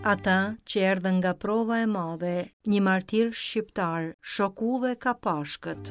Ata që erdhën nga prova e madhe, një martir shqiptar, shok udhe ka Pashkët.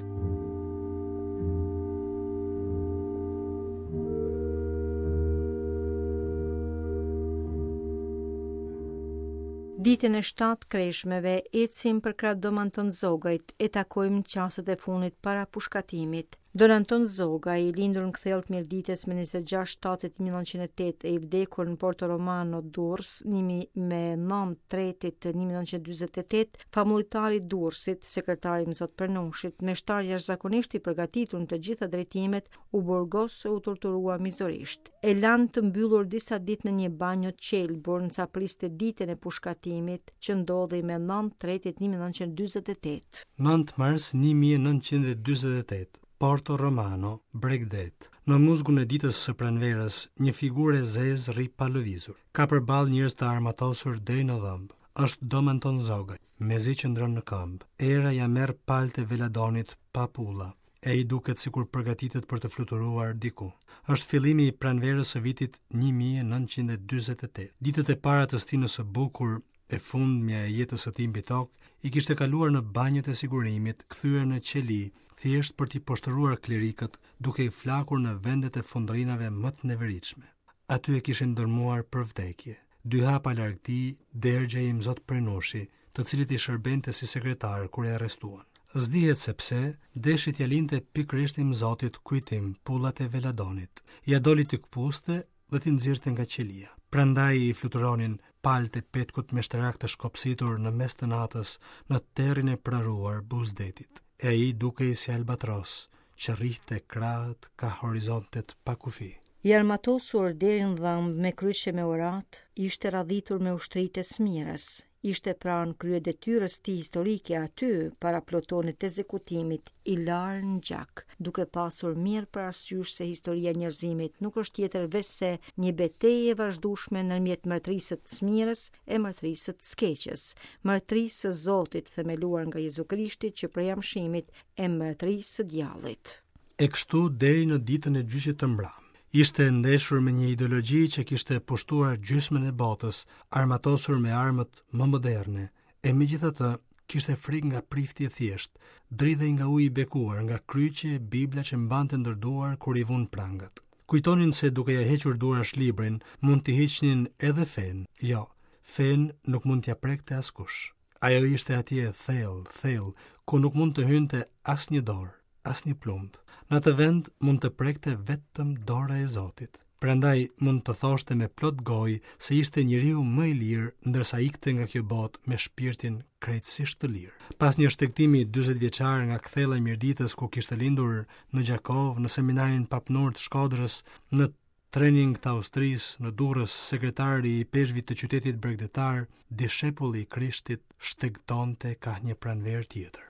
Ditën e 7 kreshmeve, ecim përkrah Dom Anton Zogajt e takojmë çastet e fundit para pushkatimit. Don Anton Zogaj, i lindur në Kthellë të Mirditës me 26 shtatit 1908 e i vdekur në Porto Romano, Durrës, me 9 tretit 1948, famullitar i Durrësit, sekretar i Imzot Prennushit, meshtar jashtëzakonisht i përgatitur në të gjitha drejtimet, u burgos e u torturua mizorisht. E lanë të mbyllur disa ditë në një banjo të qelbur, ndërsa priste ditën e pushkatimit, që ndodhi me 9 tretit 1948. 9 mars 1948, Porto Romano, Bregdet. Në muzgun e ditës së pranverës, një figurë e zezë rri pa lëvizur. Ka përballë njerëz të armatosur deri në dhëmbë. Është Dom Anton Zogaj. Mezi qëndron në këmbë. Era ia merr palët e veladonit pa pulla. E ai duket sikur përgatitet për të fluturuar diku. Është fillimi i pranverës së vitit 1948. Ditët e para të stinës së bukur, e fundmja e jetës së tij mbi tokë, i kishte kaluar në banjot e sigurimit, kthyer në qeli, thjesht për t'i poshtëruar klerikët, duke i flakur në vendet e fundrinave më të neveritshme. Aty e kishin dërmuar për vdekje. Dy hapa larg tij, dergjej Imzot Prennushi, të cilit i shërbente si sekretar kur e arrestuan. S'dihet se pse, deshi t'ia linte pikërisht Imzotit kujtim pullat e veladonit. Ia doli t'i këpuste dhe t'i nxirrte nga qelia. Prandaj i fluturonin palët e petkut meshtarak të shkopsitur në mes të natës në terrin e praruar buzë detit. E ai dukej si albatros, që rrihte krahët kah horizontet pa kufi. I armatosur deri në dhëmbë me kryq e me uratë, ishte radhitur me ushtritë e smirës. Ishte pranë kryedetyrës tij historike aty, para plutonit të ekzekutimit, i larë në gjak, duke pasur mirë parasysh se historia e njerëzimit nuk është tjetër veçse një betejë e vazhdueshme ndërmjet mbretërisë së smirës e mbretërisë së keqes, mbretërisë së Zotit themeluar nga Jezu Krishti që prej amshimit e mbretërisë së djallit. E kështu deri në ditën e gjyqit të mbramë. Ishte ndeshur me një ideologji që kishte pushtuar gjysmën e botës, armatosur me armët më moderne, e megjithatë kishte frikë nga prifti i thjeshtë, dridhej nga uji i bekuar, nga kryqi e Bibla që mbante ndër duar kur i vunë prangat. Kujtonin se duke ia hequr duarsh librin, mund t'i hiqnin edhe fenë. Jo, fenë nuk mund t'ia prekte askush. Ajo ishte atje thellë, thellë, ku nuk mund të hynte asnjë dorë, asnjë plumb. Në atë vend mund të prekte vetëm dora e Zotit. Prandaj mund të thoshte me plot gojë se ishte njeriu më i lirë ndërsa ikte nga kjo botë me shpirtin krejtësisht të lirë. Pas një shtegtimi 40 vjeçar nga Kthella e Mirditës ku kishte lindur në Gjakovë, në seminarin papnor të Shkodrës, në Trening të Austrisë, në Durrës, sekretari i ipeshkvit të qytetit bregdetar, dishepulli i Krishtit, shtegtonte kah një pranverë tjetër.